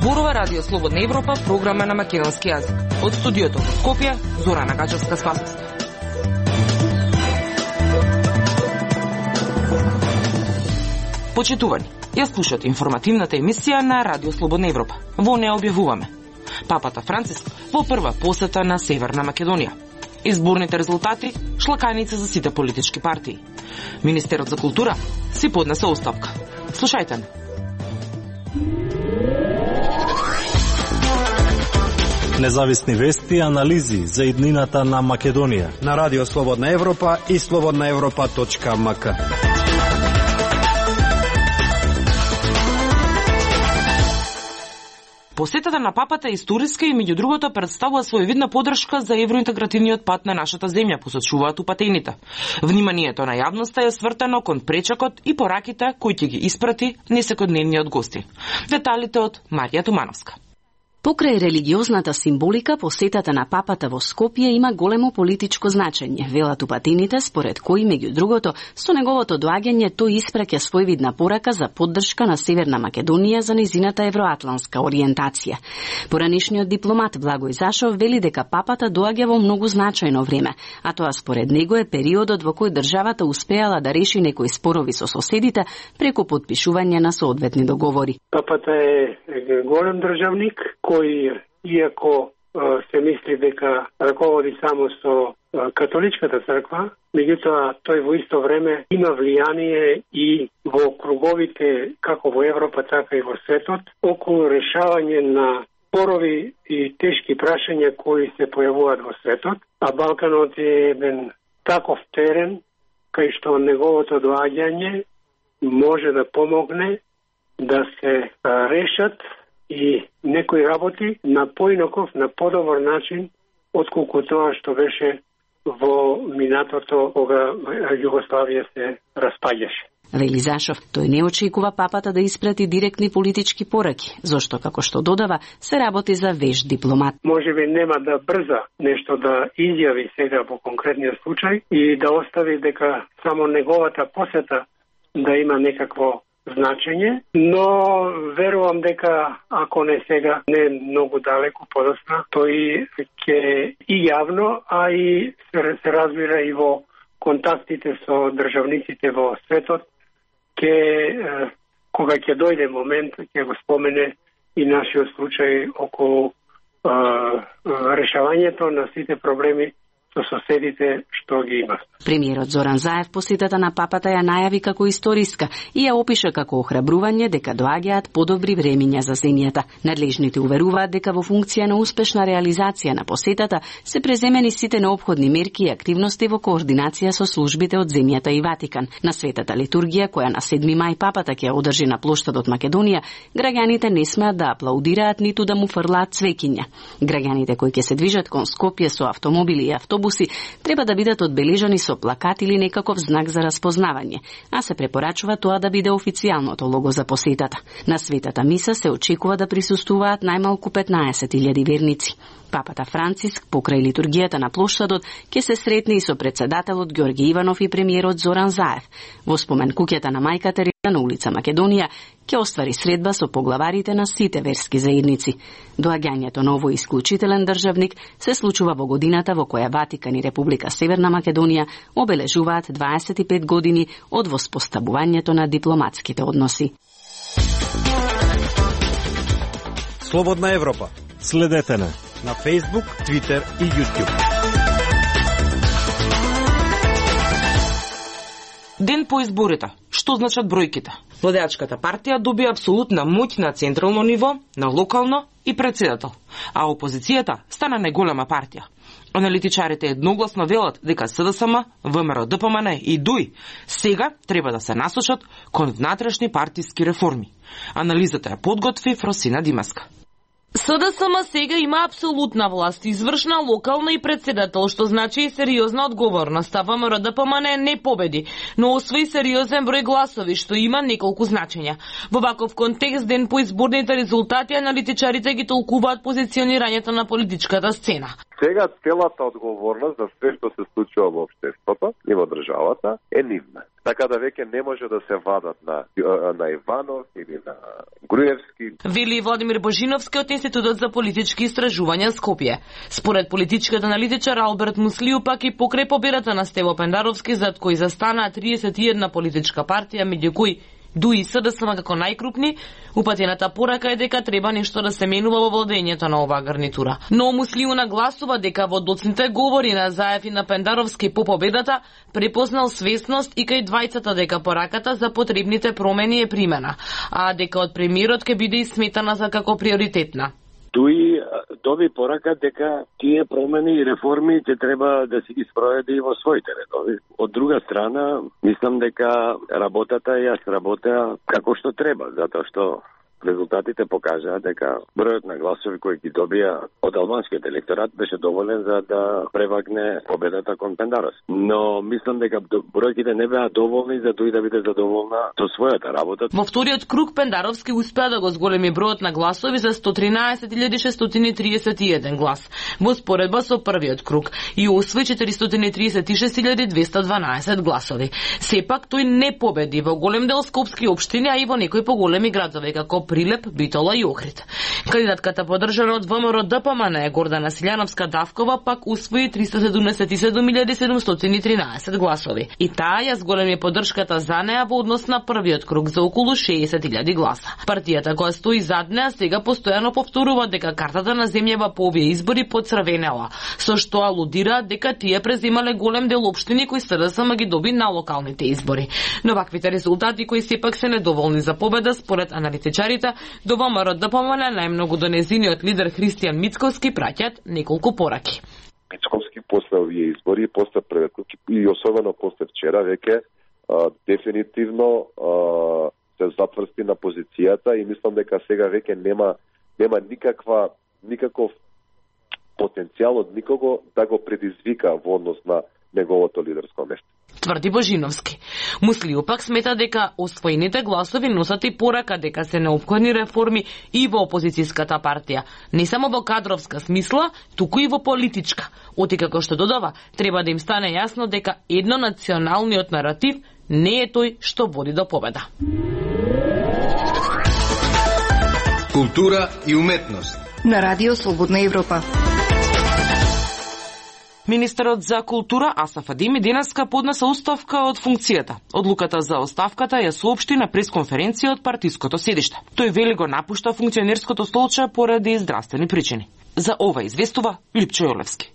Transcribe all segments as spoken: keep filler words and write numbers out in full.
Зборува Радио Слободна Европа, програма на македонски јазик. Од студиото во Скопје, Зорана Гаџевска-Спасовска. Почитувани, ја слушате информативната емисија на Радио Слободна Европа. Во неја објавуваме: Папата Франциск во прва посета на Северна Македонија. Изборните резултати шлаканица за сите политички партии. Министерот за култура си поднесе оставка. Слушајте не. Независни вести и анализи за иднината на Македонија на Радио Слободна Европа и слободна европа точка ем ка. Посетата на папата е историска и меѓу другото представува своевидна подршка за евроинтегративниот пат на нашата земја, посочуваат упатените. Вниманието на јавноста е свртено кон пречекот и пораките кои ќе ги испрати несекојдневниот гостин. Деталите од Марија Тумановска. Покрај религиозната символика, посетата на папата во Скопје има големо политичко значење, велат упатените, според кои, меѓу другото, со неговото доаѓање тој испраќа своевидна порака за поддршка на Северна Македонија за незината евроатлантска ориентација. Поранишниот дипломат Благој Зашов вели дека папата доаѓа во многу значајно време, а тоа според него е периодот во кој државата успеала да реши некои спорови со соседите преку потпишување на соодветни договори. Папата е голем државник кој, иако се мисли дека раководи само со католичката црква, меѓутоа тој во исто време има влијание и во круговите како во Европа, така и во светот, околу решавање на спорови и тешки прашања кои се појавуваат во светот, а Балканот е еден таков терен кај што неговото доаѓање може да помогне да се решат и некои работи на поинаков, на подобар начин, отколку тоа што беше во минатото, кога Југославија се распаѓаше. Вели Зашов, тој не очекува папата да испрати директни политички пораки, зашто, како што додава, се работи за веш дипломат. Може би нема да брза нешто да изјави сега во конкретниот случај и да остави дека само неговата посета да има некакво значење, но верувам дека ако не сега, не многу далеко подосна, тој ќе и јавно, а и се разбира и во контактите со државниците во светот, ќе, кога ќе дојде момент, ќе го спомене и нашиот случај околу е, решавањето на сите проблеми со соседите што ги имат. Премиерот Зоран Заев посетата на папата ја најави како историска и ја опиша како охрабрување дека доаѓаат подобри времиња за земјата. Надлежните уверуваат дека во функција на успешна реализација на посетата се преземени сите неопходни мерки и активности во координација со службите од земјата и Ватикан. На светата литургија, која на седми мај папата ќе одржи на плоштадот Македонија, граѓаните не смеат да аплаудираат ниту да му фрлаат цвеќиња. Граѓаните кои ќе се движат кон Скопје со автомобили и автобуси треба да бидат одбележани со плакат или некаков знак за распознавање, а се препорачува тоа да биде официјалното лого за посетата. На светата миса се очекува да присуствуваат најмалку петнаесет илјади верници. Папата Франциск, покрај литургијата на плоштадот, ќе се сретне и со председателот Ѓорги Иванов и премиерот Зоран Заев. Во спомен куќата на мајка Тереза на улица Македонија ќе оствари средба со поглаварите на сите верски заедници. Доаѓањето на овој исклучителен државник се случува во годината во која Ватикан и Република Северна Македонија обележуваат дваесет и пет години од воспоставувањето на дипломатските односи. Слободна Европа. Следете на на Facebook, Twitter и YouTube. Ден по изборите. Што значат бројките? Владеачката партија добија апсолутна моќ на централно ниво, на локално и председател, а опозицијата стана најголема партија. Аналитичарите едногласно велат дека СДСМ, ВМРО Д П М Н и Д У И сега треба да се насочат кон внатрешни партиски реформи. Анализата ја подготви Фросина Димаска. СДСМ сега има апсолутна власт, извршна, локална и председател, што значи и сериозна одговорност. А ВМРО Д П М Н не победи, но освои сериозен број гласови, што има неколку значења. Во ваков контекст, ден по изборните резултати, аналитичарите ги толкуваат позиционирањето на политичката сцена. Сега целата одговорност за све што се случува во општеството и во државата е нивна. Така да веќе не може да се вадат на, на Иванов или на Груевски. Вели Владимир Божиновски од Институтот за политички истражувања Скопје. Според политичкиот аналитичар Алберт Муслију пак и покрај победата на Стево Пендаровски, зад кој застанаа триесет и една политичка партија, меѓу кои ДУ и СДСМ како најкрупни, упатената порака е дека треба нешто да се менува во владењето на оваа гарнитура. Но Муслију нагласува дека во доцните говори на Заев и на Пендаровски по победата препознал свесност и кај двајцата дека пораката за потребните промени е примена, а дека од премиерот ќе биде исметана за како приоритетна. Туи доби порака дека тие промени и реформи ќе треба да се ги спроведе и во своите редови. Од друга страна, мислам дека работата ја сработеа како што треба, затоа што резултатите покажаа дека бројот на гласови кои ги добија од албанскиот електорат беше доволен за да превагне победата кон Пендаровски. Но мислам дека бројките не беа доволни за тој да биде задоволна со својата работа. Во вториот круг Пендаровски успеа да го зголеми бројот на гласови за сто тринаесет илјади шестстотини и тридесет и еден глас во споредба со првиот круг и освои четиристотини тридесет и шест илјади двесте дванаесет гласови. Сепак тој не победи во голем дел скопски општини, а и во некои поголеми градови како Прилеп, Битола и Охрид. Кандидатката подржана од ВМРО ДПМН Гордана Силјановска Давкова пак усвои триста седумдесет и седум илјади седумстотини и тринадесет гласови. И таа ја зголеми поддршката за неа во однос на првиот круг за околу шеесет илјади гласа. Партијата која стои зад неа сега постојано повторува дека картата на земјава по овие избори поцрвенела, со што алудира дека тие преземале голем дел општини кои СДСМ ги доби на локалните избори. Но ваквите резултати кои сепак се недоволни за победа според аналитичарите до ВМРО ДПМН најмногу до незиниот лидер Христијан Мицковски праќаат неколку пораки. Мицковски после овие избори, после првиот круг и особено после вчера веќе дефинитивно а, се затврсти на позицијата и мислам дека сега веќе нема нема никаква никаков потенцијал од никого да го предизвика во однос на неговото лидерско место. Тврди Божиновски. Муслију пак смета дека освоените гласови носат и порака дека се неопходни реформи и во опозицијската партија, не само во кадровска смисла, туку и во политичка. Оти како што додава, треба да им стане јасно дека еднонационалниот наратив не е тој што води до победа. Култура и уметност на Радио Слободна Европа. Министерот за култура Асаф Адеми денеска поднесе оставка од функцијата. Одлуката за оставката ја соопшти на пресконференција од партиското седиште. Тој вели го напушта функционерското столче поради здравствени причини. За ова известува Липчо Јолевски.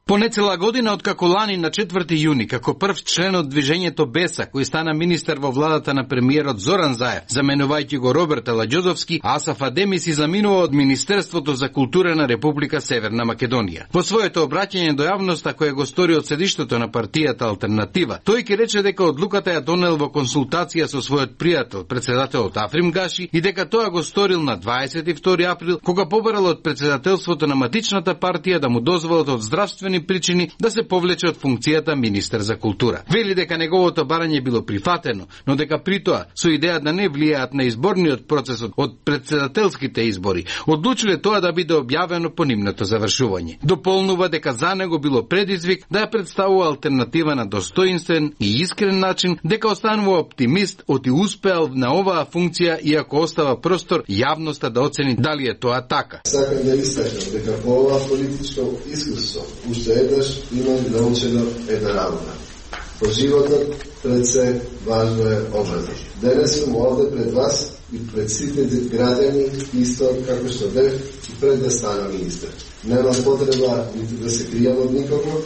По нецела година откако лани на четврти јуни, како прв член од движењето Беса, кој стана министер во владата на премиерот Зоран Заев, заменувајќи го Роберт Аладјозовски, Асаф Адеми си заминува од Министерството за култура на Република Северна Македонија. Во своето обраќање до јавноста кое го стори од седиштето на партијата Алтернатива, тој ќе рече дека одлуката ја донел во консултација со својот пријател, председателот Африм Гаши, и дека тоа го сторил на дваесет и втори април, кога побарал од председателството на матичната партија да му дозволат од здравствени причини да се повлече од функцијата министер за култура. Вели дека неговото барање било прифатено, но дека при тоа со идеја да не влијаат на изборниот процес од председателските избори, одлучиле тоа да биде објавено по нивното завршување. Дополнува дека за него било предизвик да ја представува алтернатива на достоинствен и искрен начин, дека останува оптимист оти успеал на оваа функција иако остава простор јавноста да оцени дали е тоа така. Сакам да истакнам дека по ова политичко искуство уште еднаш имам научено една работа. По животот пред се важно е образот. Денес сум овде пред вас и пред сите граѓани исто како што бев и пред да станам министер. Нема потреба ниту да се кријам од никого,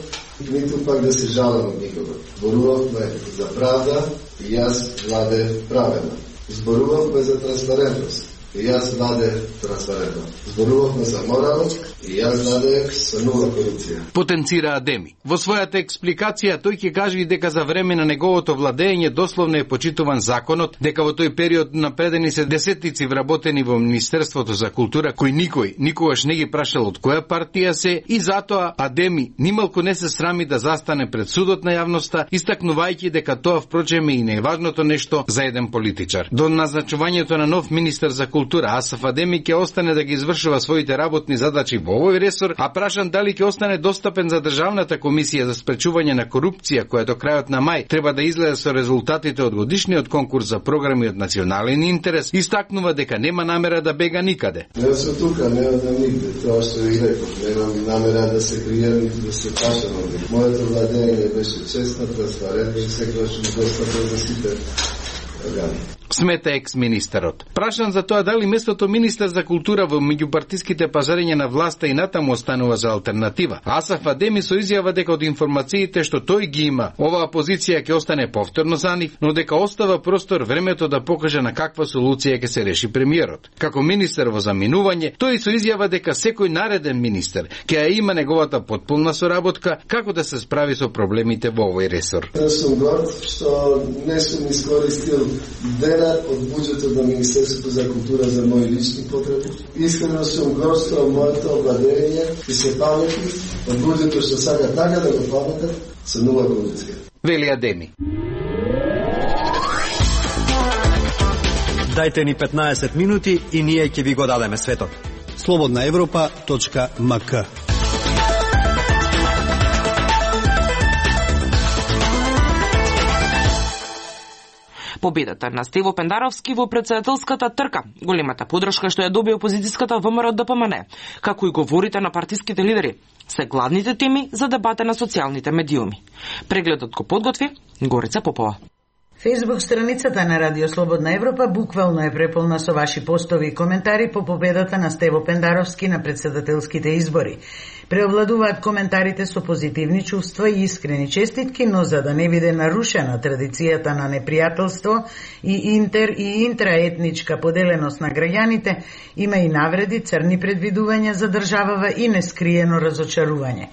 ниту пак да се жалам од никого. Зборувавме за правда и јас владеев праведно. Зборувавме за трансparentност и јас владеев трансparentно. Зборувавме за моралност и јас владеев со нула корупција. Потенцира Адеми. Во својата експликација тој ќе каже и дека за време на неговото владење дословно е почитуван законот, дека во тој период напредени се десетици вработени во Министерството за култура кои никој никогаш не ги прашал од која партија се, и затоа Адеми нималку не се срами да застане пред судот на јавноста, истакнувајќи дека тоа впрочем е и најважното нешто за еден политичар. До назначувањето на нов министер за култура култура Асаф Адеми ќе остане да ги извршува своите работни задачи во овој ресор, а прашан дали ќе остане достапен за Државната комисија за спречување на корупција, која до крајот на мај треба да излезе со резултатите од годишниот конкурс за програми од национален интерес, истакнува дека нема намера да бега никаде. Не сум тука, нема да никде, тоа што ви реков, немам намера да се кријам и да се пашам од них. Моето владење беше честно, транспарентно и секогаш достапен за сите органи. Смета екс-министерот. Прашан за тоа дали местото министер за култура во меѓупартиските пазарења на власта и натаму останува за алтернатива. Асаф Адеми со изјава дека од информациите што тој ги има, оваа позиција ќе остане повторно за нив, но дека остава простор времето да покаже на каква солуција ќе се реши премиерот. Како министер во заминување, тој со изјава дека секој нареден министер ќе ја има неговата потполна соработка како да се справи со проблемите во овој ресор. Јас сум горд што не сум искористил ден од буџетот на Министерството за култура за мои лични потреби. Искрено сум горд што моето владење и се памети од буџетот што сака така да го паметат со нова позиција. Вели Адеми. Дајте ни петнаесет минути и ние ќе ви го дадеме светот. слободна европа точка ем ка. Победата на Стево Пендаровски во претседателската трка, големата подршка што ја доби опозицијската ВМРО Д П М Н, како и говорите на партиските лидери, се гладните теми за дебата на социјалните медиуми. Прегледот го подготви Горица Попова. Фејсбук страницата на Радио Слободна Европа буквално е преполна со ваши постови и коментари по победата на Стево Пендаровски на претседателските избори. Преовладуваат коментарите со позитивни чувства и искрени честитки, но за да не биде нарушена традицијата на непријателство и интер и интраетничка поделеност на граѓаните, има и навреди, црни предвидувања за државава и нескриено разочарување.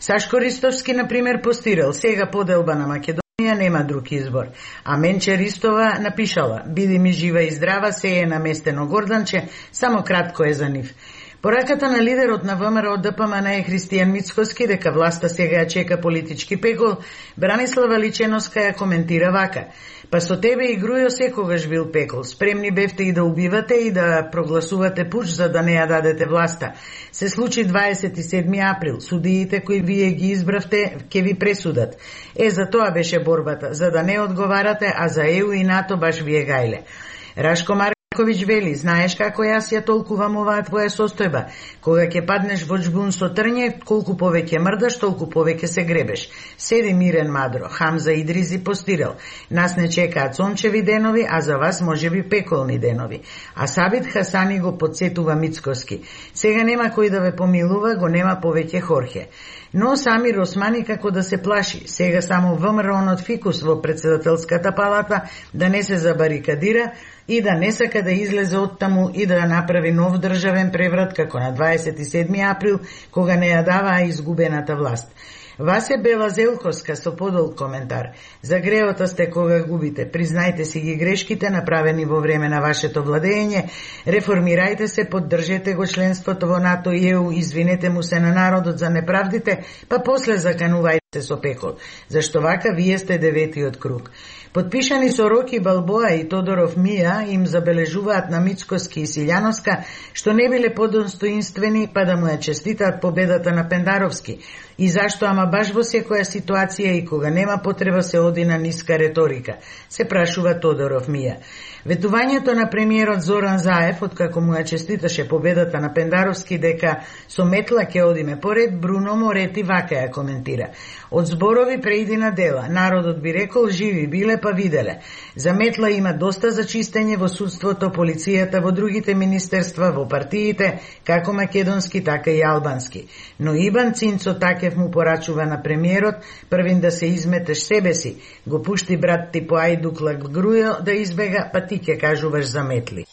Сашко Ристовски, например, постирал: сега поделба на Македонија нема друг избор. А Менче Ристова напишала: биди ми жива и здрава, се е наместено Горданче, само кратко е за нив. Пораката на лидерот на ВМРО Д П М Н е Христијан Мицкоски дека власта сега ја чека политички пекол. Бранислава Личеноска ја коментира вака: па со тебе и Грујо секогаш бил пекол. Спремни бевте и да убивате и да прогласувате пуч за да не ја дадете власта. Се случи дваесет и седми април. Судиите кои вие ги избравте ќе ви пресудат. Е, за тоа беше борбата, за да не одговарате, а за Е У и НАТО баш вие гајле. Рашко Марковиќ вели: знаеш како јас ја толкувам оваа твоја состојба. Кога ќе паднеш во џбун со трње, колку повеќе мрдаш, толку повеќе се гребеш. Седи мирен мадро. Хамза Идризи постирал: нас не чекаат сончеви денови, а за вас можеби пеколни денови. А Сабит Хасани го подсетува Мицкоски: сега нема кој да ве помилува, го нема повеќе Хорхе. Но Самир Османи како да се плаши. Сега само ВМРО-нот фикус во претседателската палата да не се забарикадира и да не сака да излезе од таму и да направи нов државен преврат како на дваесет и седми април, кога не ја даваа изгубената власт. Васе Бела Зелковска со подолг коментар: за греота сте кога губите, признајте си ги грешките направени во време на вашето владење, реформирајте се, поддржете го членството во НАТО и Е У, извинете му се на народот за неправдите, па после заканувајте се со пекол, зашто вака вие сте деветиот круг. Подпишани со Роки Балбоа и Тодоров Мија им забележуваат на Мицкоски и Силјановска што не биле подостоинствени, па да му ја честитаат победата на Пендаровски. И зашто ама баш во секоја ситуација и кога нема потреба се оди на ниска реторика, се прашува Тодоров Мија. Ветувањето на премиерот Зоран Заев, откако му ја честиташе победата на Пендаровски дека со метла ќе одиме поред, Бруно Морети вака ја коментира: од зборови преиди на дела, народот би рекол живи биле па виделе. За метла има доста за чистење во судството, полицијата, во другите министерства, во партиите, како македонски, така и албански. Но Ибан Цинцо Такев му порачува на премиерот: првин да се изметеш себе си, го пушти брат ти по ајдуклак Грујо да избега, па ти ќе кажуваш за метли.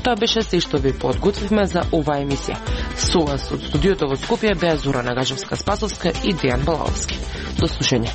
Тоа беше се што ви подготвивме за оваа емисија. Со вас од студиото во Скопје беа Зора Нагажевска-Спасовска и Дејан Балаовски. До слушање.